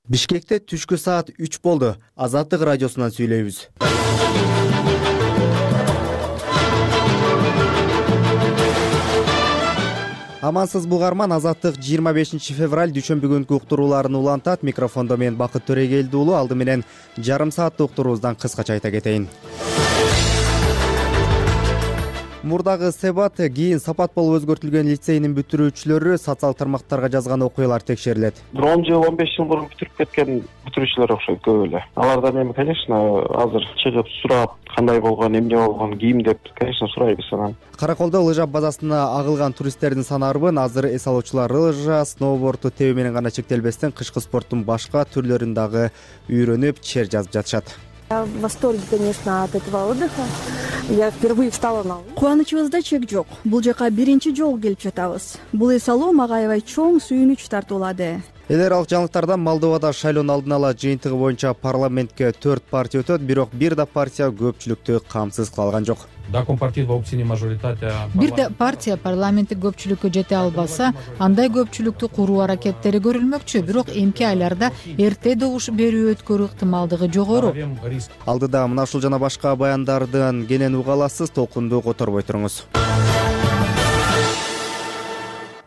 Бишкекте түшкү саат 3 болду. Азаттык радиосунан сүйлөйбүз. Амансыз бугарман, Азаттык 25 февраль дүйшөмбү күнкү уктурууларын улантат. Микрофондо мен Бакыт Төрегелди уулу. Алды менен жарым сааттык уктуруубуздан кыскача айта кетейин. Мурдагы Себат, кийин Сапат болуп өзгөртүлгөн лицейнин бүтүрүүчүлөрү социал тармактарга жазган окуялар текшерилет. 10 жыл, 15 жыл мурун бүтүрүп кеткен бүтүрүүчүлөр окшойт көп эле. Алардан эми, конечно, азыр чыгып сурап, кандай болгон, эмне болгон, кийим деп, конечно, сурайбыз анан. Караколдо лыжа базасына агылган туристтердин саны арбын. Азыр эс алуучулар лыжа, сноуборду тебүү менен гана чектелбестен кышкы спорттун башка түрлөрүн дагы үйрөнүп, чер жазып жатышат. Я в восторге, конечно, от этого отдыха. Я впервые встала на лыжи. Кубанычыбызда чек жок. Бул жака биринчи жолу келип жатабыз. Бул эс алуу мага аябай чоң сүйүнүч тартуулады. Эл аралык жаңылыктардан Молдовада шайлоонун алдын ала жыйынтыгы боюнча парламентке 4 партия өтөт, бирок бир да партия көпчүлүктү камсыз кыла алган жок. Бир да партия парламенттик көпчүлүккө жете албаса, андай көпчүлүктү куруу аракеттери көрүлмөкчү, бирок эмки айларда эрте добуш берүү өткөрүү ыктымалдыгы жогору. Алдыда мына ушул жана башка баяндардын кенен уга аласыз, толкунду которбой туруңуз.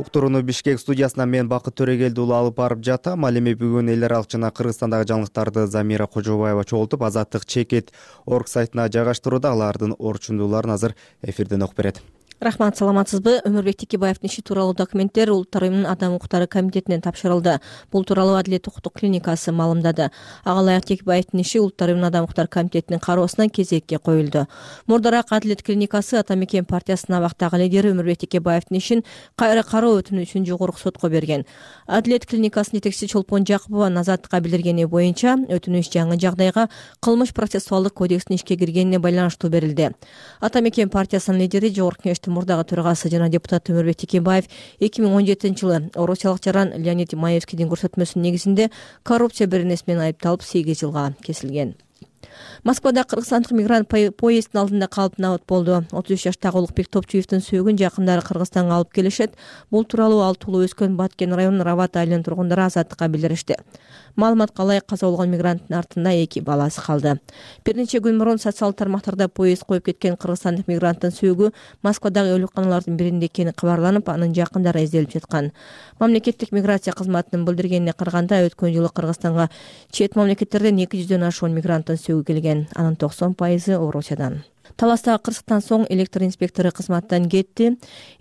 Уктурууну Бишкек студиясынан мен Бакыт Төрегелди уулу алып барып жатам. Ал эми бүгүн эл аралык жана Кыргызстандагы жаңылыктарды Замира Кожобаева чогултуп, Азаттык чекит орг сайтына жайгаштырууда. Алардын орчундууларын азыр эфирден окуп берет. Рахмат, саламатсызбы? Өмүрбек Текебаевдин иши тууралуу документтер Улуттар уюмунун Адам укуктары комитетинен тапшырылды. Бул тууралуу Адилет укуктук клиникасы маалымдады. Ага ылайык Текебаевдин иши Улуттар уюмунун Адам укуктары комитетинин кароосуна кезекке коюлду. Мурдараак Адилет клиникасы Ата Мекен партиясынын абактагы лидери Өмүрбек Текебаевдин ишин кайра кароо өтүнүү үчүн жогорку сотко берген. Адилет клиникасынын жетекчиси Чолпон Жакупова Азаттыкка билдиргени боюнча, өтүнүш жаңы жагдайга кылмыш процессуалдык кодекстин ишке киргенине байланыштуу берилди. Ата Мекен партиясынын лидери Жогорку Кеңештин мурдагы төрагасы жана депутат Өмүрбек Текебаев 2017-жылы орусиялык жаран Леонид Маевскийдин көрсөтмөсүнүн негизинде коррупция беренеси менен айыпталып 8 жылга кесилген. Москвада кыргызстандык мигрант поезддин алдында калып набат болду. 33 жаштагы Улукбек Топчуевдин сөөгүн жакындары Кыргызстанга алып келишет. Бул тууралуу ал туулуп өскөн Баткен районунун Рават айылынын тургундары Азаттыкка билдиришти. Маалыматка ылайык каза болгон мигранттын артында 2 баласы калды. Бир нече күн мурун социалдык тармактарда поезд коюп кеткен кыргызстандык мигранттын сөөгү Москвадагы өлүкканалардын биринде экени кабарланып, анын жакындары изделип жаткан. Мамлекеттик миграция кызматынын билдиргенине караганда, өткөн жылы Кыргызстанга чет мамлекеттерден 200дөн ашуун мигранттын сөөгү келген. Анын 90% Орусиядан. Таластагы кырсыктан соң электр инспектору кызматтан кетти.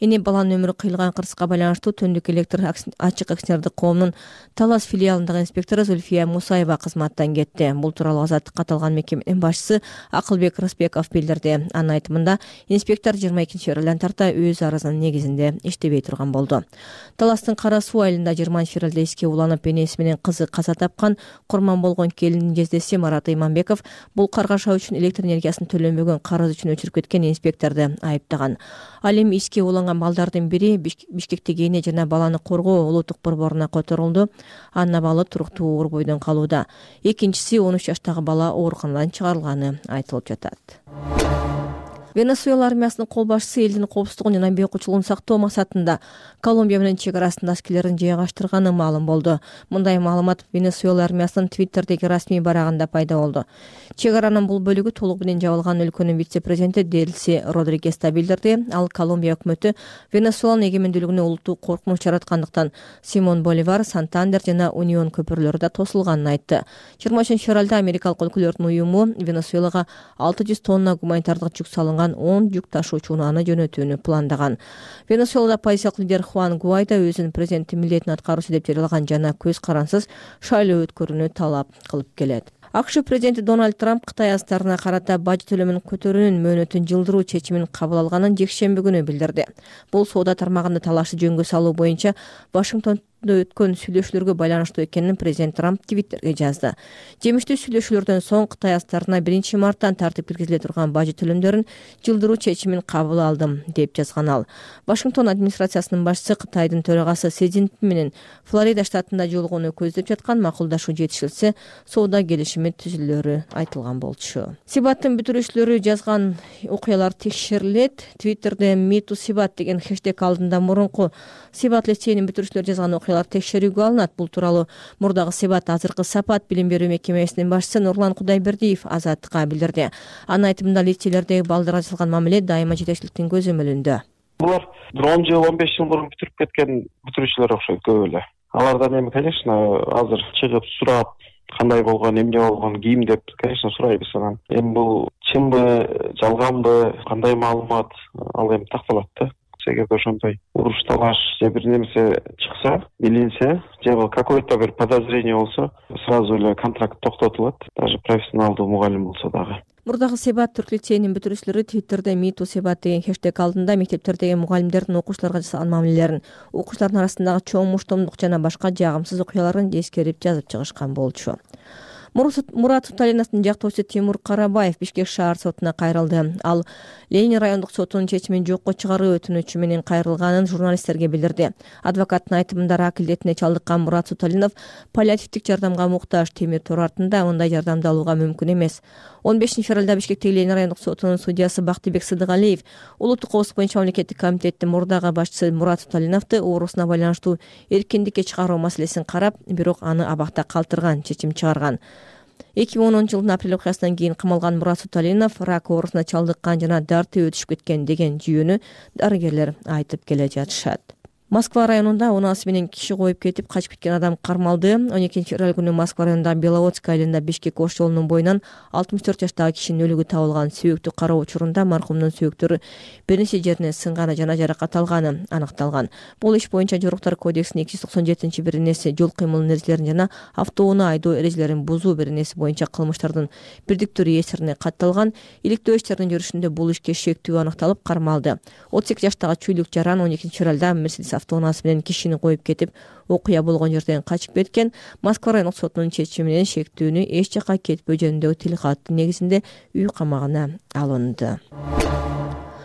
Эне баланын өмүрү кыйылган кырсыкка байланыштуу Түндүк электр ачык акционердик коомунун Талас филиалындагы инспектору Зульфия Мусаева кызматтан кетти. Бул тууралуу Азаттыкка аталган мекеменин башчысы Акылбек Рысбеков билдирди. Анын айтымында, инспектор 22 февралдан тарта өз арызынын негизинде иштебей турган болду. Таластын Кара Суу айылында 20 февралда эске уланып, энеси менен кызы каза тапкан курман болгон келиндин жездеси Марат Иманбеков бул каргаша үчүн электр энергиясын төлөнбөгөн карыз үчүн өчүрүп кеткен инспекторду айыптаган. Ал эми эске уланган балдардын бири Бишкектеги эне жана баланы коргоо улуттук борборуна которулду. Анын абалы туруктуу оор бойдон калууда. Экинчиси 13 жаштагы бала ооруканадан чыгарылганы айтылып жатат. Венесуэла армиясынын кол башчысы элдин коопсуздугун жана бейкучулугун сактоо максатында Колумбия менен чек арасында аскерлерин жайгаштырганы маалым болду. Мындай маалымат Венесуэла армиясынын Твиттердеги расмий барагында пайда болду. Чек аранын бул бөлүгү толук менен жабылган өлкөнүн вице-президенти Делси Родригес да билдирди. Ал Колумбия өкмөтү Венесуэланын эгемендүүлүгүнө улуттуу коркунуч жараткандыктан Симон Боливар, Сантандер жана Унион көпүрлөрү да тосулганын айтты. 23 февралда Америкалык өлкөлөрдүн уюму Венесуэлага 600 тонна гуманитардык жүк салынган 10 жүк ташуучу унааны жөнөтүүнү пландаган. Венесуэлада оппозициялык лидер Хуан Гуайдо өзүнүн президенттин милдетин аткаруучу деп жарыялаган жана көз карансыз шайлоо өткөрүүнү талап кылып келет. АКШ президенти Дональд Трамп Кытай азаттарына карата бажы төлөмүн көтөрүүнүн мөөнөтүн жылдыруу чечимин кабыл алганын жекшемби күнү билдирди. Бул соода тармагында талашты жөнгө салуу боюнча Вашингтон өткөн сүйлөшүүлөргө байланыштуу экенин президент Трамп Твиттерге жазды. Жемиштүү сүйлөшүүлөрдөн соң Кытай азаттарына 1 марттан тартып киргизиле турган бажы төлөмдөрүн жылдыруу чечимин кабыл алдым деп жазган ал. Вашингтон администрациясынын башчысы Кытайдын төрагасы Си Цзиньпин менен Флорида штатында жолугууну көздөп жаткан макулдашуу жетишилсе, соода келишими түзүлөрү айтылган болчу. Сибаттын бүтүрүүчүлөрү жазган окуялар текшерилет. Твиттерде #MeTooSibat деген хэштег алдында мурунку Сибат лицейинин бүтүрүүчүлөрү жазган окуялар текшерүүгө алынат. Бул тууралуу мурдагы Себат азыркы Сапат билим берүү мекемесинин башчысы Нурлан Кудайбердиев Азаттыкка билдирди. Анын айтымында лицейлердеги балдарга жасалган мамиле дайыма жетекчиликтин көзөмөлүндө. Булар 10 жыл 15 жыл мурун бүтүрүп кеткен бүтүрүүчүлөр окшойт көп эле. Алардан эми конечно азыр чыгып сурап кандай болгон, эмне болгон, ким деп конечно сурайбыз анан. Эми бул чынбы, жалганбы, кандай маалымат ал эми такталат да. Эгерде ошондой уруш талаш же бир нерсе чыкса, билинсе, же какой-то бир подозрение болсо, сразу эле контракт токтотулат, даже профессионалдуу мугалим болсо дагы. Мурдагы Себат Түрк лицейинин бүтүрүүчүлөрү Twitterде #MeToo Себат деген хэштег алдында мектептердеги мугалимдердин окуучуларга жасаган мамилелерин, окуучулардын арасындагы чоң муштомдук жана башка жагымсыз окуяларын эскерип жазып чыгышкан болчу. Мурат Суталиновдун жактоочусу Тимур Карабаев Бишкек шаар сотуна кайрылды. Ал Ленин райондук сотунун чечимин жокко чыгаруу өтүнүчү менен кайрылганын журналисттерге билдирди. Адвокаттын айтымында рак илдетине чалдыккан Мурат Суталинов паллиативдик жардамга муктаж, темир тор артында мындай жардамды алууга мүмкүн эмес. 15 февралда Бишкектеги Ленин райондук сотунун судьясы Бактыбек Сыдыгалиев улуттук коопсуздук боюнча мамлекеттик комитеттин мурдагы башчысы Мурат Суталиновду оорусуна байланыштуу эркиндикке чыгаруу маселесин карап, бирок аны абакта калтырган чечим чыгарган. 2010 жылдын апрель окуясынан кийин камалган Мурат Суталинов рак оорусуна чалдыккан жана дарти өтүшүп кеткен деген жүйөнү дарыгерлер айтып келе жатышат. Москва районунда унаас менен киши коюп кетип качып кеткен адам кармалды. 12 февраль күнү Москва районундагы Беловодская айылында Бишкек Ош жолунун боюнан 64 жаштагы кишинин өлүгү табылган. Сөөктү кароо учурунда маркумдун сөөктөрү бир нече жерине сынганы жана жаракат алганы аныкталган. Бул иш боюнча Жоруктар кодексинин 297-беренеси жол кыймылынын эрежелерин жана автоунаа айдоо эрежелерин бузуу беренеси боюнча кылмыштардын бирдиктүү реестрине катталган. Иликтөө иштеринин жүрүшүндө бул ишке шектүү аныкталып кармалды. 38 жаштагы Чүйлүк Жаран 12 февралда Мерседес автоунаасы менен кишини коюп кетип, окуя болгон жерден качып кеткен. Москва райондук сотунун чечими менен шектүүнү эч жакка кетпөө жөнүндөгү тилкаттын негизинде үй камагына алынды.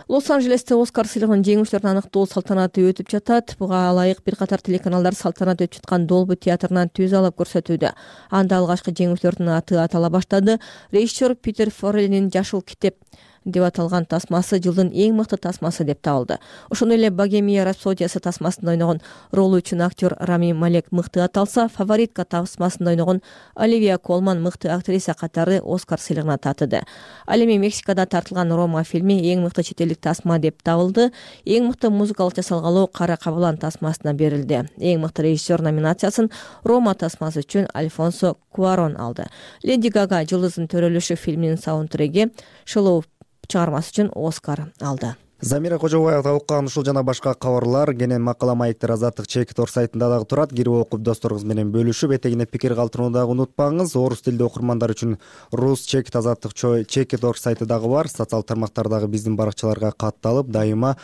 Лос-Анджелесте Оскар сыйлыгынын жеңүүчүлөрүн аныктоо салтанаты өтүп жатат. Буга ылайык бир катар телеканалдар салтанат өтүп жаткан Долби театрынан түз алып көрсөтүүдө. Анда алгачкы жеңүүчүлөрдүн аты атала баштады. Режиссер Питер Форелинин Жашыл китеп деп аталган тасмасы жылдын эң мыкты тасмасы деп табылды. Ошондой эле Богемия рапсодиясы тасмасында ойногон ролу үчүн актер Рами Малек мыкты аталса, Фаворитка тасмасында ойногон Оливия Колман мыкты актриса катары Оскар сыйлыгына татыды. Ал эми Мексикада тартылган Рома фильми эң мыкты чет элдик тасма деп табылды. Эң мыкты музыкалык жасалгалоо Кара Кабылан тасмасына берилди. Эң мыкты режиссер номинациясын Рома тасмасы үчүн Альфонсо Куарон алды. Леди Гага Жылдыздын төрөлүшү фильминин саундтреги Шылоо чыгармасы үчүн Оскар алды. Замира Кожобаева окуган ушул жана башка кабарлар кенен макала маектер Азаттык Чекит сайтында дагы турат. Кирип окуп досторуңуз менен бөлүшүп, этегине пикир калтырууну дагы унутпаңыз. Орус тилдүү окурмандар үчүн Рус Чекит Азаттык Чекит сайты дагы бар. Социал тармактардагы биздин баракчаларга катталып, дайыма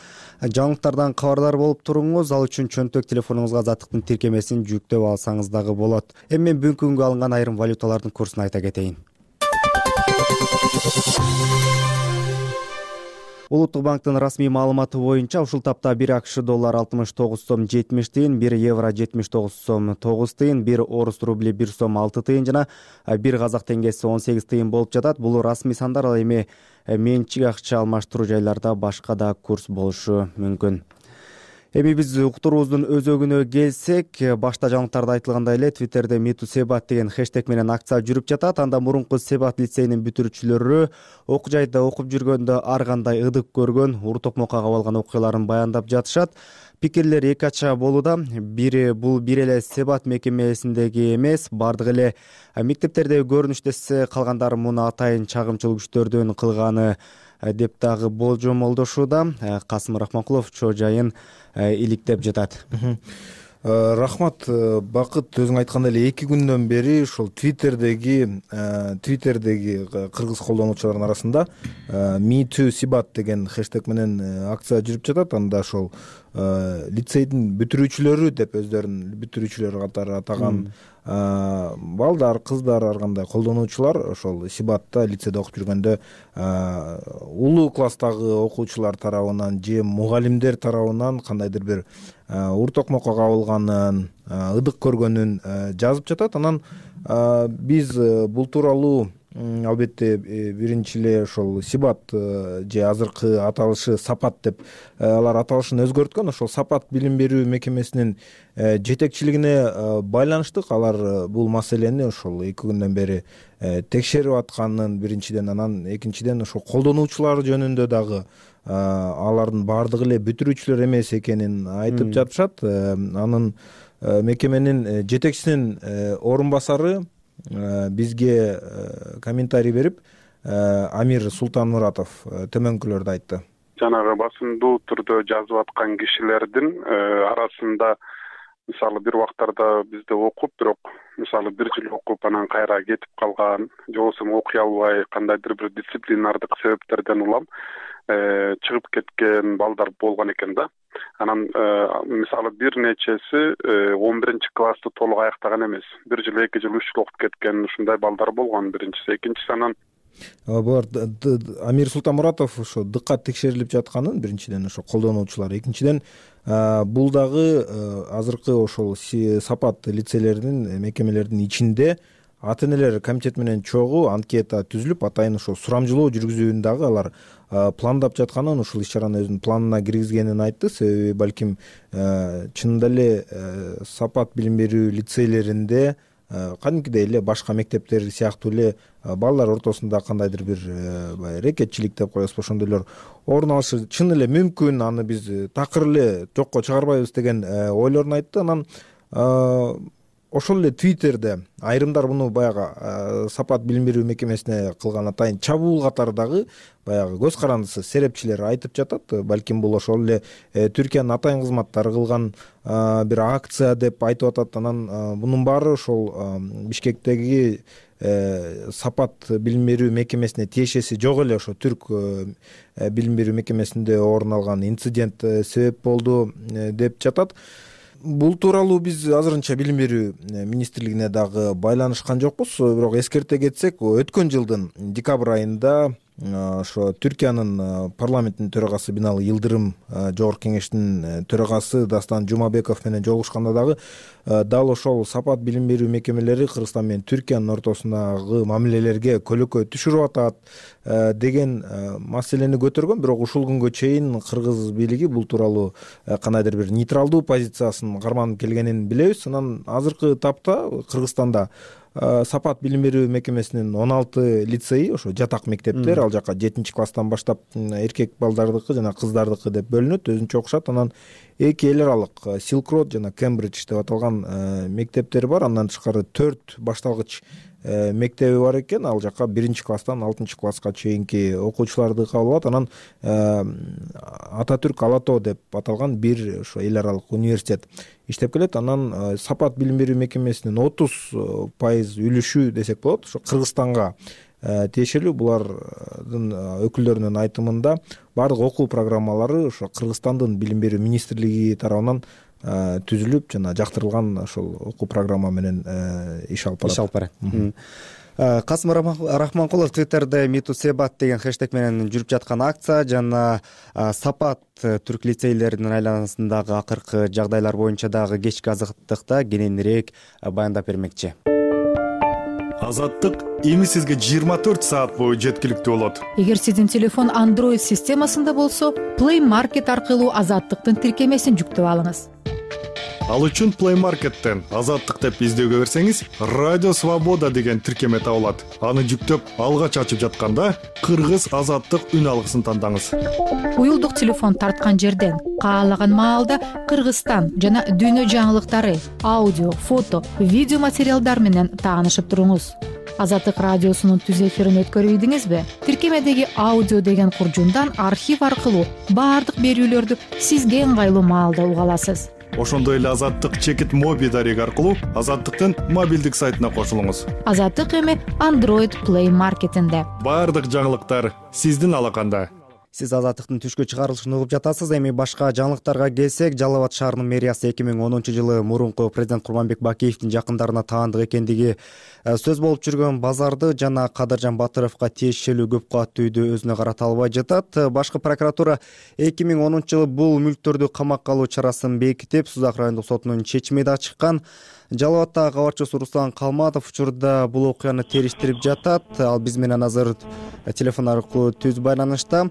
жаңылыктардан кабардар болуп туруңуз. Ал үчүн чөнтөк телефонуңузга Азаттыктын тиркемесин жүктөп алсаңыз дагы болот. Эми мен бүгүнкү күнгө алынган айрым валюталардын курсун айта кетейин. Улуттук банктын расмий маалыматы боюнча ушул тапта 1 АКШ доллар 69 сом 70 тыйын, 1 евро 79 сом 9 тыйын, 1 орус рубли 1 сом 6 тыйын жана 1 казак теңгеси 18 тыйын болуп жатат. Бул расмий сандар, ал эми менчик акча алмаштыруу жайларда башка да курс болушу мүмкүн. Эми биз уктуруубуздун өзөгүнө келсек, башта жаңылыктарда айтылгандай эле Twitterде #MeToo Себат деген хэштег менен акция жүрүп жатат. Анда мурунку Себат лицейинин бүтүрүүчүлөрү окуу жайда окуп жүргөндө ар кандай ыдык көргөн, ур токмокко кабылган окуяларын баяндап жатышат. Пикирлер эки ача болууда. Бири бул бир эле Себат мекемесиндеги эмес, бардык эле мектептердеги көрүнүш десе, калгандары муну атайын чагымчыл күчтөрдүн кылганы деп дагы болжомолдошууда. Касым Рахманкулов чоо жайын иликтеп жатат. Рахмат, Бакыт, өзүң айткандай эле 2 күндөн бери ушул Twitterдеги кыргыз колдонуучулардын арасында #MeToo Себат деген хэштег менен акция жүрүп жатат. Анда ошол лицейдин бүтүрүүчүлөрү деп өздөрүн бүтүрүүчүлөр катары атаган балдар, кыздар, ар кандай колдонуучулар ошол Себатта лицейде окуп жүргөндө улуу класстагы окуучулар тарабынан же мугалимдер тарабынан кандайдыр бир ур токмокко кабылганын, ыдык көргөнүн жазып жатат. Анан биз бул тууралуу албетте биринчи эле ошол Сибат же азыркы аталышы Сапат деп алар аталышын өзгөрткөн. Ошол Сапат билим берүү мекемесинин жетекчилигине байланыштык. Алар бул маселени ошол 2 күндөн бери текшерип атканын биринчиден, анан экинчиден ошол колдонуучулар жөнүндө дагы алардын баардыгы эле бүтүрүүчүлөр эмес экенин айтып жатышат. Анын мекеменин жетекчисинин орун басары бизге комментарий берип, Амир Султанмуратов төмөнкүлөрдү айтты. Жанагы басымдуу түрдө жазып аткан кишилердин арасында мисалы бир убактарда бизде окуп, бирок мисалы 1 жыл окуп анан кайра кетип калган, же болбосо окуй албай кандайдыр бир дисциплинардык себептерден улам чыгып кеткен балдар болгон экен да. Анан мисалы бир нечеси 11-классты толук аяктаган эмес. 1 жыл, 2 жыл, 3 жыл окуп кеткен ушундай балдар болгон биринчиси. Экинчиси анан булар Амир Султанмуратов ошо дыккат текшерилип жатканын биринчиден ошо колдонуучулар, экинчиден бул дагы азыркы ошол Сапат лицейлеринин мекемелердин ичинде ата-энелер комитети менен чогуу анкета түзүлүп, атайын ошо сурамжылоо жүргүзүүнү дагы алар пландап жатканын, ушул иш-чараны өзүнүн планына киргизгенин айтты. Себеби балким чынында эле Сапат билим берүү лицейлеринде кадимкидей эле башка мектептер сыяктуу эле балдар ортосунда кандайдыр бир рекетчилик деп коебузбу, ошондойлор орун алышы чын эле мүмкүн, аны биз такыр эле жокко чыгарбайбыз деген ойлорун айтты. Анан ошол эле Твиттерде айрымдар муну баягы Сапат билим берүү мекемесине кылган атайын чабуул катары дагы баягы көз карандысы серепчилер айтып жатат. Балким бул ошол эле Түркиянын атайын кызматтары кылган бир акция деп айтып атат. Анан мунун баары ошол Бишкектеги Сапат билим берүү мекемесине тиешеси жок эле ошо түрк билим берүү мекемесинде орун алган инцидент себеп болду деп жатат. Бул тууралуу биз азырынча билим берүү министрлигине дагы байланышкан жокпуз, бирок эскерте кетсек, өткөн жылдын декабрь айында ошо Түркиянын парламентинин төрагасы Бинали Йылдырым, жогорку кеңештин төрагасы Дастан Жумабеков менен жолугушканда дагы дал ошол Сапат билим берүү мекемелери Кыргызстан менен Түркиянын ортосундагы мамилелерге көлөкө түшүрүп атат деген маселени көтөргөн. Бирок ушул күнгө чейин кыргыз бийлиги бул тууралуу кандайдыр бир нейтралдуу позициясын карманып келгенин билебиз. Анан азыркы тапта Кыргызстанда Сапат билим берүү мекемесинин 16 лицейи, ошо жатак мектептер, ал жака 7-класстан баштап эркек балдардыкы жана кыздардыкы деп бөлүнөт, өзүнчө окушат. Анан 2 эл аралык Silk Road жана Cambridge деп аталган мектептер бар. Андан тышкары 4 башталгыч мектеби бар экен. Ал жака 1-класстан 6-класска чейинки окуучуларды кабыл алат. Анан Ататүрк Алато деп аталган бир ошо эл аралык университет иштеп келет. Анан Сапат билим берүү мекемесинин 30% үлүшү десек болот ошо Кыргызстанга тиешелүү. Булардын өкүлдөрүнүн айтымында баардык окуу программалары ошо Кыргызстандын билим берүү министрлиги тарабынан түзүлүп жана жактырылган ошол окуу программа менен иш алып барат. Касым Рахманкулов Твиттерде Миту Себат деген хэштег менен жүрүп жаткан акция жана Сапат түрк лицейлеринин айланасындагы акыркы жагдайлар боюнча дагы кечки азаттыкта кененирээк баяндап бермекчи. Азаттык эми сизге 24 саат бою жеткиликтүү болот. Эгер сиздин телефон Android системасында болсо, Play Market аркылуу Азаттыктын тиркемесин жүктөп алыңыз. Ал үчүн Play Market'тен Азаттык деп издөөгө берсеңиз, Радио Свобода деген тиркеме табылат. Аны жүктөп, алгач ачып жатканда Кыргыз Азаттык үн алгысын тандаңыз. Уюлдук телефон тарткан жерден каалаган маалда Кыргызстан жана дүйнө жаңылыктары, аудио, фото, видео материалдар менен таанышып туруңуз. Азаттык радиосунун түз эфирин өткөрүп ийдиңизби? Тиркемедеги аудио деген куржундан архив аркылуу баардык берүүлөрдү сизге ыңгайлуу маалда уга аласыз. Ошондой эле Азаттык чекит моби дареги аркылуу Азаттыктын мобилдик сайтына кошулуңуз. Азаттык эми Android Play Market'инде. Баардык жаңылыктар сиздин алаканда. Сиз Азаттыктын түшкө чыгарылышын угуп жатасыз. Эми башка жаңылыктарга келсек, Жалал Абад шаарынын мэриясы 2010-жылы мурунку президент Курманбек Бакеевдин жакындарына таандык экендиги сөз болуп жүргөн базарды жана Кадыржан Батыровго тиешелүү көп кабаттуу үйдү өзүнө карата албай жатат. Башкы прокуратура 2010-жылы бул мүлктөрдү камакка алуу чарасын бекитип, Сузак райондук сотунун чечими да чыккан. Жалал Абадтагы кабарчыбыз Руслан Калматов учурда бул окуяны териштирип жатат. Ал биз менен азыр телефон аркылуу түз байланышта.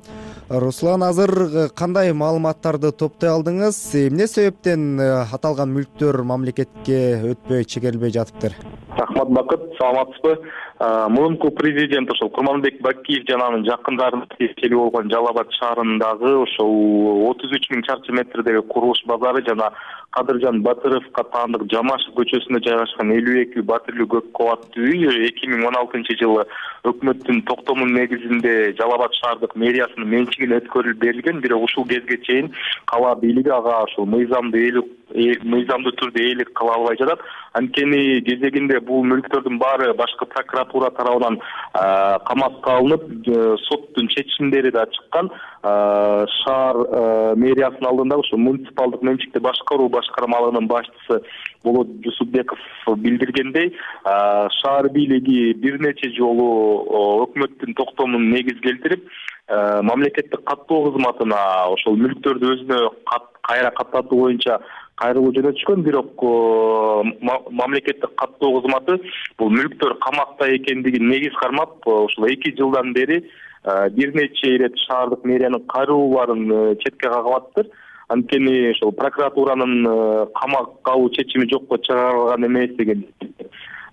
Руслан, азыр кандай маалыматтарды топтой алдыңыз? Эмне себептен аталган мүлктөр мамлекетке өтпөй чегерилбей жатыптыр? Рахмат, Бакыт, саламатсызбы? Мурунку президент ошол Курманбек Бакиев жана анын жакындарына тиешелүү болгон Жалал Абад шаарындагы ошол 33 000 чарчы метрдеги курулуш базары жана Кадыржан Батыровго таандык Жамашев көчөсүндө жайгашкан 52 батирлүү көп кабаттуу үй 2016-жылы өкмөттүн токтомунун негизинде Жалал Абад шаардык мэриясынын менчигине өткөрүлүп берилген, бирок ушул кезге чейин кала бийлиги ага ошол мыйзамдуу түрдө ээлик кыла албай жатат. Анткени кезегинде бул мүлктөрдүн баары башкы прокуратура тарабынан камакка алынып, соттун чечимдери да чыккан. Шаар мэриясынын алдында ошо муниципалдык менчикти башкаруу башкармалыгынын башчысы Болот Жусупбеков билдиргендей, шаар бийлиги бир нече жолу өкмөттүн токтомун негиз келтирип, мамлекеттик каттоо кызматына ошол мүлктөрдү өзүнө кайра каттатуу боюнча кайрылуу жөнөтүшкөн, бирок мамлекеттик каттоо кызматы бул мүлктөр камакта экендигин негиз кармап, ошол 2 жылдан бери бир нече ирет шаардык мэриянын кайрылууларын четке кагып атыптыр. Анткени ошол прокуратуранын камакка алуу чечими жокко чыгарылган эмес деген.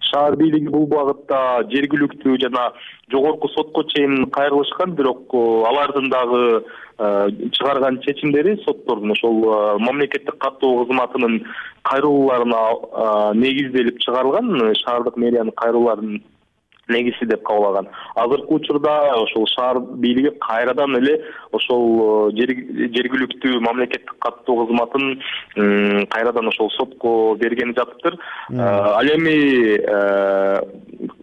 Шаар бийлиги бул багытта жергиликтүү жана жогорку сотко чейин кайрылышкан, бирок алардын дагы чыгарган чечимдери соттордун ошол мамлекеттик каттоо кызматынын кайрылууларына негизделип чыгарылган, шаардык мэриянын кайрылууларын негизи деп кабыл алган. Азыркы учурда ошол шаар бийлиги кайрадан эле ошол жергиликтүү мамлекеттик каттоо кызматын кайрадан ошол сотко берген жатыптыр. Ал эми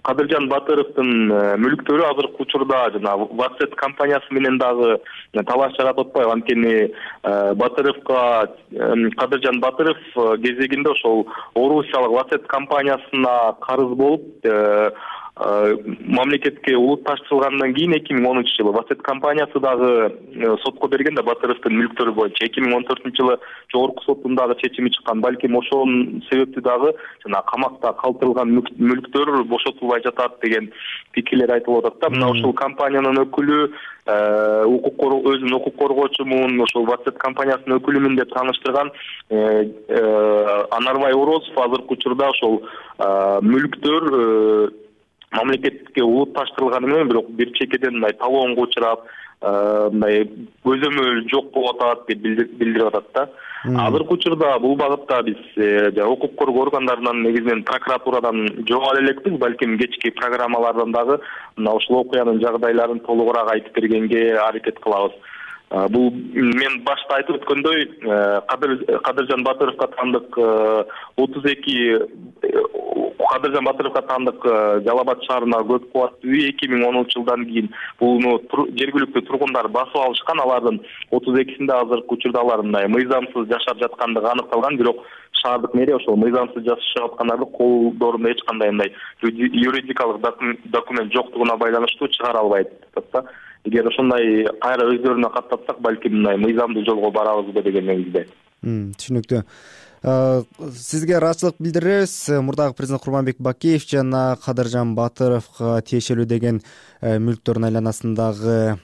Кадыржан Батыровдун мүлктөрү азыркы учурда жана Ватсет компаниясы менен дагы талаш жаратып атпайбы. Анткени Кадыржан Батыров кезегинде ошол Орусиялык Ватсет компаниясына карыз болуп, мамлекетке улутташтырылгандан кийин 2013-жылы Ватсет компаниясы дагы сотко берген да Батыровдун мүлктөрү боюнча. 2014-жылы жогорку соттун дагы чечими чыккан. Балким ошонун себептүү дагы жана камакта калтырылган мүлктөр бошотулбай жатат деген пикирлер айтылып атат да. Мына ошол компаниянын өкүлү өзүнүн укук коргоочумун ошол Ватсет компаниясынын өкүлүмүн деп тааныштырган Анарбай Орозов азыркы учурда ошол мүлктөр мамлекетке улутташтырылганы менен бирок бир чекеден мындай талоонго учурап, мындай көзөмөл жок болуп атат деп билдирип атат да. Азыркы учурда бул багытта биз укук коргоо органдарынан негизинен прокуратурадан жоголо элекпиз, балким кечки программалардан дагы мына ушул окуянын жагдайларын толугураак айтып бергенге аракет кылабыз. Бул мен башта айтып өткөндөй, Кадыржан Батыровго таандык 32 Кадыржан Батыровго таандык Жалал Абад шаарындагы көп кабаттуу үй 2010-жылдан кийин буну жергиликтүү тургундар басып алышкан. Алардын 32-синде азыркы учурда алар мындай мыйзамсыз жашап жаткандыгы аныкталган, бирок шаардык мэрия ошол мыйзамсыз жашап аткандарды колдорунда эч кандай мындай юридикалык документ жоктугуна байланыштуу чыгара албайт да. Эгер ошондой кайра өздөрүнө каттатсак, балким мындай мыйзамдуу жолго барабызбы деген негизде. Түшүнүктүү. Сизге ыраазычылык билдиребиз. Мурдагы президент Курманбек Бакиев жана Кадыржан Батыровго тиешелүү деген мүлктөрдүн айланасындагы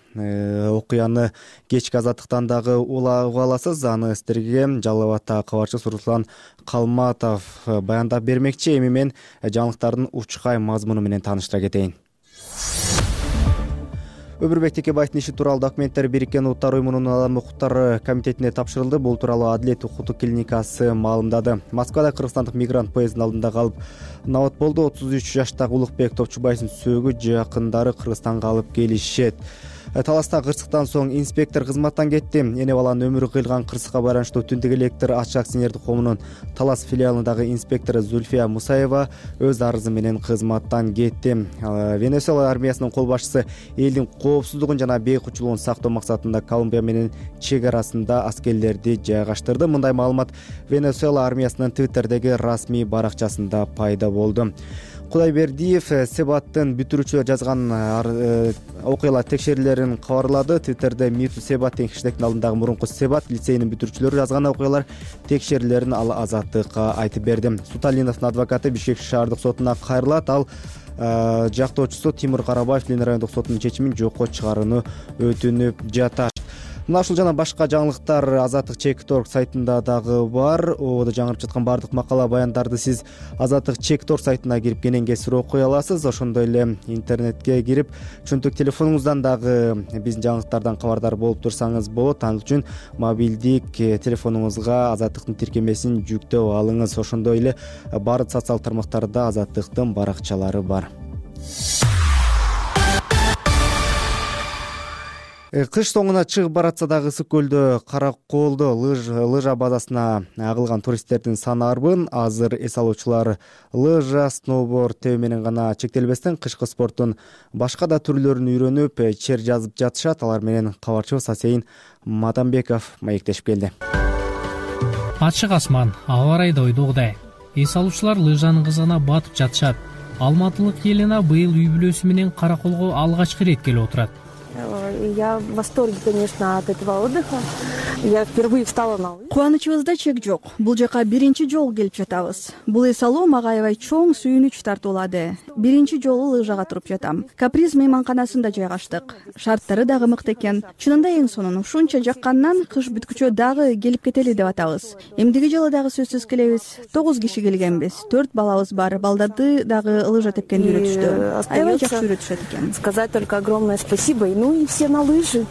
окуяны кечки Азаттыктан дагы угуп аласыз. Аны сиздерге Жалал Абадтагы кабарчыбыз Руслан Калматов баяндап бермекчи. Эми мен жаңылыктардын учкай мазмуну менен тааныштыра кетейин. Өмүрбек Текебаевдин иши тууралуу документтер Бириккен Улуттар Уюмунун Адам укуктары комитетине тапшырылды. Бул тууралуу Адилет укуктук клиникасы маалымдады. Москвада кыргызстандык мигрант поезддин алдында калып набат болду. 33 жаштагы Улукбек Топчубаевдин сөөгү жакындары Кыргызстанга алып келишет. Таласта кырсыктан соң инспектор кызматтан кетти. Эне баланын өмүрү кыйылган кырсыкка байланыштуу Түндүк электр ачык акционердик коомунун Талас филиалындагы инспектору Зульфия Мусаева өз арызы менен кызматтан кетти. Венесуэла армиясынын кол башчысы элдин коопсуздугун жана бейкучулугун сактоо максатында Колумбия менен чек арасында аскерлерди жайгаштырды. Мындай маалымат Венесуэла армиясынын Твиттердеги расмий баракчасында пайда болду. Кудайбердиев Себаттын бүтүрүүчүлөр жазган окуялар текшерүүлөрүн кабарлады. Твиттерде Миту Себат деген хэштегдин алдындагы мурунку Себат лицейинин бүтүрүүчүлөрү жазган окуялар текшерүүлөрүн ал Азаттыкка айтып берди. Суталиновдун адвокаты Бишкек шаардык сотуна кайрылат. Ал жактоочусу Тимур Карабаев Ленин райондук сотунун чечимин жокко чыгарууну өтүнүп жатат. Мына ушул жана башка жаңылыктар Азаттык Чекит.org сайтында дагы бар. Ободо жаңырып жаткан баардык макала баяндарды сиз Азаттык Чекит.org сайтына кирип кенен кесир окуй аласыз. Ошондой эле интернетке кирип чөнтөк телефонуңуздан дагы биздин жаңылыктардан кабардар болуп турсаңыз болот. Ал үчүн мобилдик телефонуңузга Азаттыктын тиркемесин жүктөп алыңыз. Ошондой эле баардык социалдык тармактарда Азаттыктын баракчалары бар. Кыш соңуна чыгып баратса дагы ысык көлдө Караколдо лыжа базасына агылган туристтердин саны арбын. Азыр эс алуучулар лыжа, сноуборд тебүү менен гана чектелбестен кышкы спорттун башка да түрлөрүн үйрөнүп, чер жазып жатышат. Алар менен кабарчыбыз Асейин Мадамбеков маектешип келди. Ачык асман, аба ырайы да ойдогудай. Эс алуучулар лыжанын кызыгына батып жатышат. Алматылык Елена быйыл үй бүлөсү менен Караколго алгачкы ирет келип отурат. Я в восторге, конечно, от этого отдыха. Я впервые встала на лыжи. Кубанычыбызда чек жок. Бул жака биринчи жолу келип жатабыз. Бул эс алуу мага аябай чоң сүйүнүч тартуулады. Биринчи жолу лыжага туруп жатам. Каприз мейманканасында жайгаштык. Шарттары дагы мыкты экен. Чынында эң сонун ушунча жаккандан кыш бүткүчө дагы келип кетели деп атабыз. Эмдиги жылы дагы сөзсүз келебиз. 9 киши келгенбиз. 4 балабыз бар. Балдарды дагы лыжа тепкенди үйрөтүштү. Аябай жакшы үйрөтүшөт экен. Сказать только огромное спасибо. Ну и все на лыжи.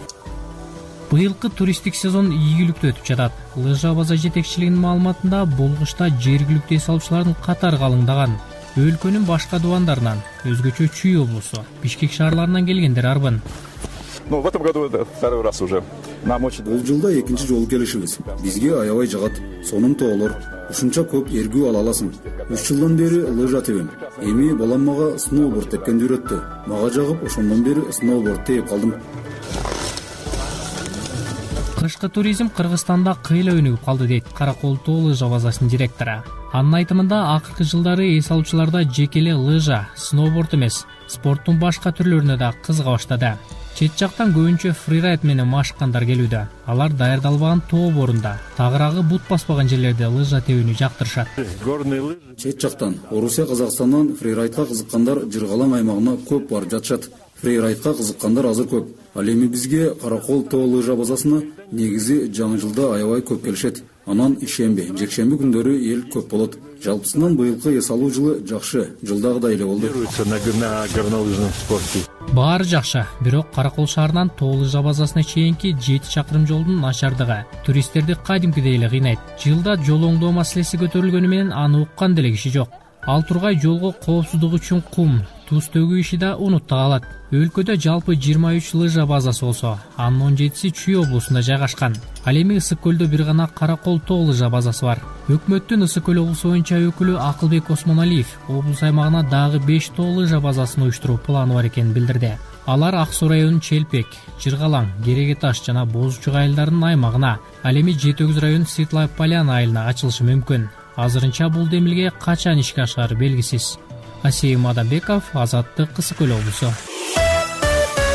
Быйылкы туристтик сезон ийгиликтүү өтүп жатат. Лыжа база жетекчилигинин маалыматында бул кышта жергиликтүү эс алуучулардын катары калыңдаган. Өлкөнүн башка дубандарынан, өзгөчө Чүй облусу, Бишкек шаарларынан келгендер арбын. В этом году это второй раз уже. Нам очень... Бул жылда экинчи жолу келишибиз. Бизге аябай жагат. Сонун тоолор. Ушунча көп эргүү ала аласың. 3 жылдан бери лыжа тебем. Эми балам мага сноуборд тепкенди үйрөттү. Мага жагып, ошондон бери сноуборд тээп калдым. Кышкы туризм Кыргызстанда кыйла өнүгүп калды дейт Каракол тоо лыжа базасынын директору. Анын айтымында акыркы жылдары эс алуучуларда жеке эле лыжа, сноуборд эмес, спорттун башка түрлөрүнө да кызыга баштады. Чет жактан көбүнчө фрирайд менен машыккандар келүүдө. Алар даярдалбаган тоо борунда, тагыраагы бут баспаган жерлерде лыжа тебүүнү жактырышат. Чет жактан Орусия, Казакстандан фрирайдка кызыккандар Жыргалаң аймагына көп барып жатышат. Фрирайдка кызыккандар азыр көп. Ал эми бизге Каракол тоо лыжа базасына негизи жаңы жылда аябай көп келишет. Анан ишемби, жекшемби күндөрү эл көп болот. Жалпысынан быйылкы эс алуу жылы жакшы, жылдагыдай эле болду. Баары жакшы, бирок Каракол шаарынан тоо лыжа базасына чейинки 7 чакырым жолдун начардыгы туристтерди кадимкидей эле кыйнайт. Жылда жол оңдоо маселеси көтөрүлгөнү менен аны уккан деле киши жок. Ал тургай жолго коопсуздук үчүн кум, туз төгүү иши да унутта калат. Өлкөдө жалпы 23 лыжа базасы болсо, анын 17си Чүй облусунда жайгашкан. Ал эми Ысык көлдө бир гана Каракол тоо лыжа базасы бар. Өкмөттүн Ысык көл облусу боюнча өкүлү Акылбек Осмоналиев облус аймагына дагы 5 тоо лыжа базасын уюштуруу планы бар экенин билдирди. Алар Ак Суу районунун Челпек, Жыргалаң, Кереге таш жана Бозучук айылдарынын аймагына, ал эми Жети Өгүз районунун Светлая Поляна айылына ачылышы мүмкүн. Азырынча бул демилге качан ишке ашары белгисиз. Асейин Мадамбеков, Азаттык, Ысык көл облусу.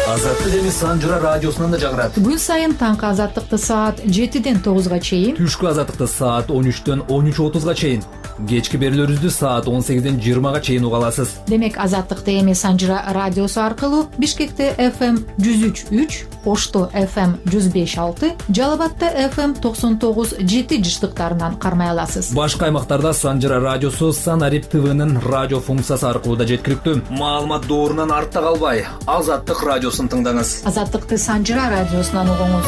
Азаттык эми Санжыра радиосунан да жагырат. Күн сайын таңкы Азаттыкты саат 7ден 9га чейин, түшкү Азаттыкты саат 13дөн 13:30га чейин, кечки берүүлөрүбүздү саат 18ден 20га чейин уга аласыз. Демек Азаттыкты эми Санжыра радиосу аркылуу Бишкекте FM 103.3, Ошто FM 105.6, Жалал Абадта FM 99.7 жыштыктарынан кармай аласыз. Башка аймактарда Санжыра радиосу Санарип ТВнын радио функциясы аркылуу да жеткиликтүү. Маалымат доорунан артта калбай, Азаттык радиосун тыңдаңыз. Азаттыкты Санжыра радиосунан угуңуз.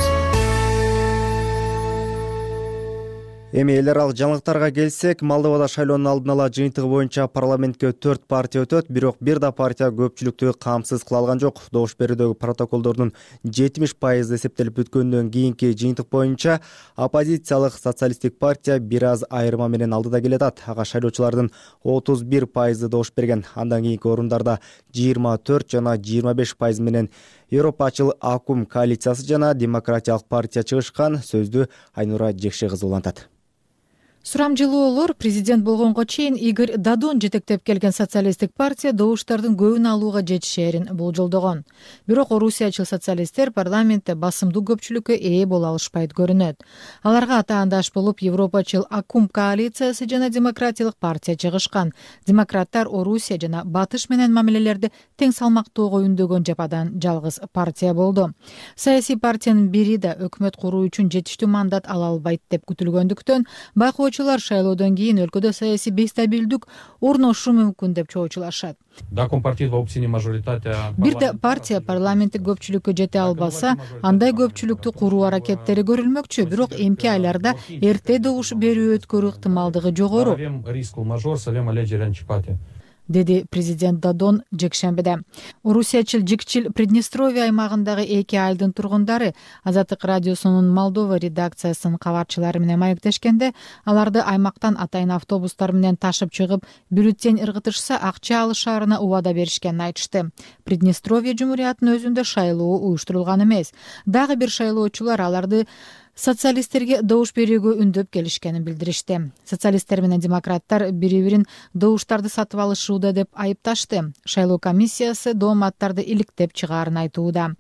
Эми эл аралык жаңылыктарга келсек, Молдовада шайлоонун алдын ала жыйынтыгы боюнча парламентке 4 партия өтөт, бирок бир да партия көпчүлүктү камсыз кыла алган жок. Добуш берүүдөгү протоколдордун 70% эсептелип бүткөндөн кийинки жыйынтык боюнча оппозициялык социалисттик партия бир аз айырма менен алдыда келатат. Ага шайлоочулардын 31% добуш берген. Андан кийинки орундарда 24 жана 25% менен Европачыл Акум коалициясы жана Демократиялык партия чыгышкан. Сөздү Айнура Жекше кызы улантат. сурамжылоолор президент болгонго чейин Игорь Дадон жетектеп келген социалисттик партия добуштардын көбүн алууга жетишээрин болжолдогон. Бирок орусиячыл социалисттер парламентте басымдуу көпчүлүккө ээ боло алышпайт көрүнөт. Аларга атаандаш болуп Европачыл Акум коалициясы жана Демократиялык партия чыгышкан. Демократтар Орусия жана Батыш менен мамилелерди тең салмактоого үндөгөн жападан жалгыз партия болду. Саясий партиянын бири да өкмөт куруу үчүн жетиштүү мандат ала албайт деп күтүлгөндүктөн байкоочулар шайлоодон кийин өлкөдө саясий бейстабилдик орношу мүмкүн деп чоочулашат. Бир да партия парламенттик көпчүлүккө жете албаса, андай көпчүлүктү куруу аракеттери көрүлмөкчү, бирок эмки айларда эрте добуш берүү өткөрүү ыктымалдыгы жогору, деди президент Дадон жекшембиде. Орусиячыл Жикчил Приднестровье аймагындагы 2 айылдын тургундары Азаттык радиосунун Молдова редакциясынын кабарчылары менен маектешкенде, аларды аймактан атайын автобустар менен ташып чыгып, бюллетень ыргытышса акча алышаарына убада беришкенин айтышты. Приднестровье жумуриятынын өзүндө шайлоо уюштурулган эмес. Дагы бир шайлоочулар аларды социалисттерге добуш берүүгө үндөп келишкенин билдиришти. Социалисттер менен демократтар бири-бирин добуштарды сатып алышууда деп айыпташты. Шайлоо комиссиясы дооматтарды иликтеп чыгаарын айтууда.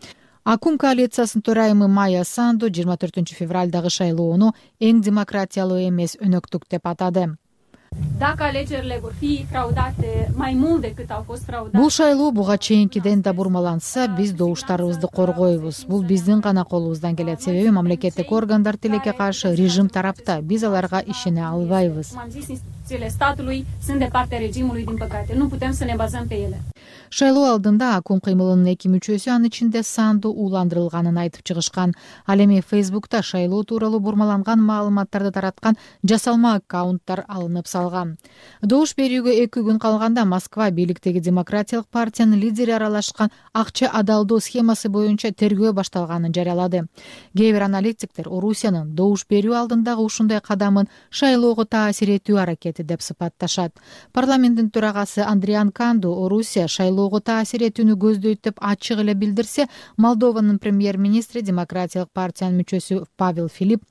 Акум коалициясынын төрайымы Майя Санду 24 февралдагы шайлоону эң демократиялуу эмес өнөктүк деп атады. Бул шайлоо буга чейинкиден да бурмаланса, биз добуштарыбызды коргойбуз. Бул биздин гана колубуздан келет, себеби мамлекеттик органдар тилекке каршы режим тарапта. Биз аларга ишене албайбыз. Шайлоо алдында Акум кыймылынын 2 мүчөсү, анын ичинде Санду ууландырылганын айтып чыгышкан. Ал эми Фейсбукта шайлоо тууралуу бурмаланган маалыматтарды тараткан жасалма аккаунттар алынып салган. Добуш берүүгө 2 күн калганда Москва бийликтеги Демократиялык партиянын лидери аралашкан акча адалдоо схемасы боюнча тергөө башталганын жарыялады. Кээ бир аналитиктер Орусиянын добуш берүү алдындагы ушундай кадамын шайлоого таасир этүү аракети деп сыпатташат. Парламенттин төрагасы Андриан Канду Орусия шайлоого таасир этүүнү көздөйт деп ачык эле билдирсе, Молдованын премьер-министри Демократиялык партиянын мүчөсү Павел Филипп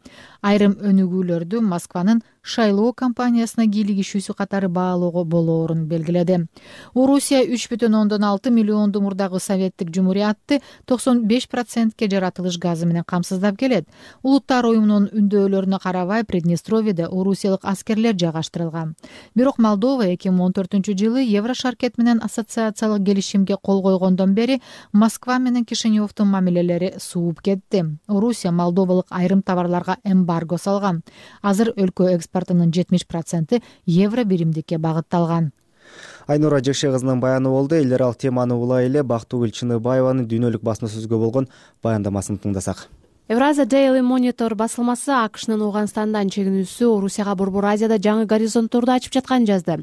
айрым өнүгүүлөрдү Москванын шайлоо кампаниясына кийлигишүүсү катары баалоого болоорун белгиледи. Орусия 3,6 миллионду мурдагы советтик жумуриятты 95%ке жаратылыш газы менен камсыздап келет. Улуттар уюмунун үндөөлөрүнө карабай Приднестровьеде орусиялык аскерлер жайгаштырылган. Бирок Молдова 2014-жылы Еврошаркет менен ассоциациялык келишимге кол койгондон бери Москва менен Кишиневдун мамилелери сууп кетти. Орусия молдовалык айрым товарларга эмбарго салган. Азыр өлкө экспортунун 70% евро биримдикке багытталган. Айнура Жекше кызынын баяны болду. Элдер ал теманы улай эле Бактыгүл Чыныбаеванын дүйнөлүк басма сөзгө болгон баяндамасын тыңдасак. Евразия Daily Monitor басылмасы АКШнын Ооганстандан чегинүүсү Орусияга Борбор Азияда жаңы горизонтторду ачып жатканын жазды.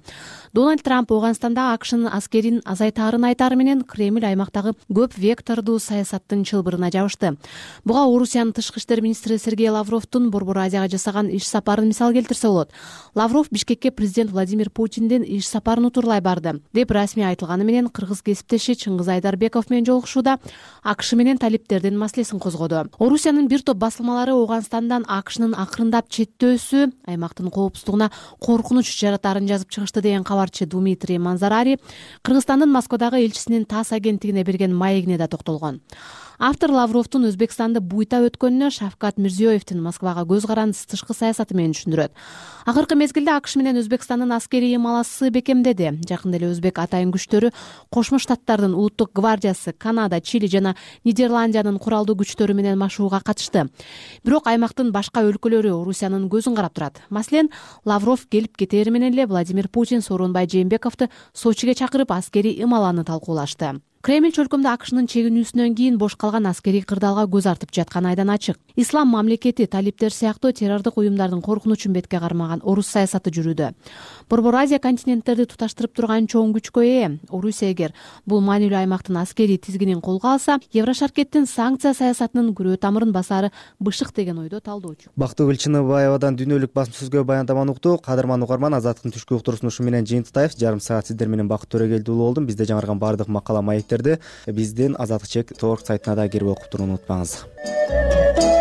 Дональд Трамп Ооганстанда АКШнын аскерин азайтаарын айтары менен Кремль аймактагы көп вектордуу саясаттын чылбырына жабышты. Буга Орусиянын тышкы иштер министри Сергей Лавровдун Борбор Азияга жасаган иш сапарын мисал келтирсе болот. Лавров Бишкекке президент Владимир Путиндин иш сапарын утурлай барды деп расмий айтылганы менен кыргыз кесиптеши Чыңгыз Айдарбеков менен жолугушууда АКШ менен талиптердин маселесин козгоду. Орусиянын бир топ басылмалары Ооганстандан АКШнын акырындап четтөөсү аймактын коопсуздугуна коркунуч жаратарын жазып чыгышты деген кабарчы Дмитрий Манзарари Кыргызстандын Москвадагы элчисинин ТАСС агенттигине берген маегине да токтолгон. Автор Лавровдун Өзбекстанды буйта өткөнүнө Шавкат Мирзиёевдин Москвага көз карандысыз тышкы саясаты менен түшүндүрөт. Акыркы мезгилде АКШ менен Өзбекстандын аскерий ымаласы бекемдеди. Жакында эле өзбек атайын күчтөрү Кошмо Штаттардын улуттук гвардиясы, Канада, Чили жана Нидерландиянын куралдуу күчтөрү менен машууга катышты. Бирок аймактын башка өлкөлөрү Орусиянын көзүн карап турат. Маселен, Лавров келип кетери менен эле Владимир Путин Сооронбай Жээнбековду Сочиге чакырып аскерий ымаланы талкуулашты. Кремль чөлкөмдө АКШнын чегинүүсүнөн кийин бош калган аскерий кырдаалга көз артып жатканы айдан ачык. Ислам мамлекети, талиптер сыяктуу террордук уюмдардын коркунучун бетке кармаган орус саясаты жүрүүдө. Борбор Азия континенттерди туташтырып турган чоң күчкө ээ. Орусия эгер бул маанилүү аймактын аскерий тизгинин колго алса, Еврошаркеттин санкция саясатынын күрөө тамырын басары бышык деген ойдо талдоочу. Бактыгүл Чыныбаевадан дүйнөлүк басма сөзгө баяндаманы уктук. Кадырман угарман, Азаттыктын түшкү уктуруусун ушу менен жыйынтыктайбыз. Жарым саат сиздер менен Бакыт Төрөгелди уулу болдум. Бизде жаңырган баардык макала маектерди биздин Азаттык Чек торг сайтына да кирип окуп турууну унутпаңыз.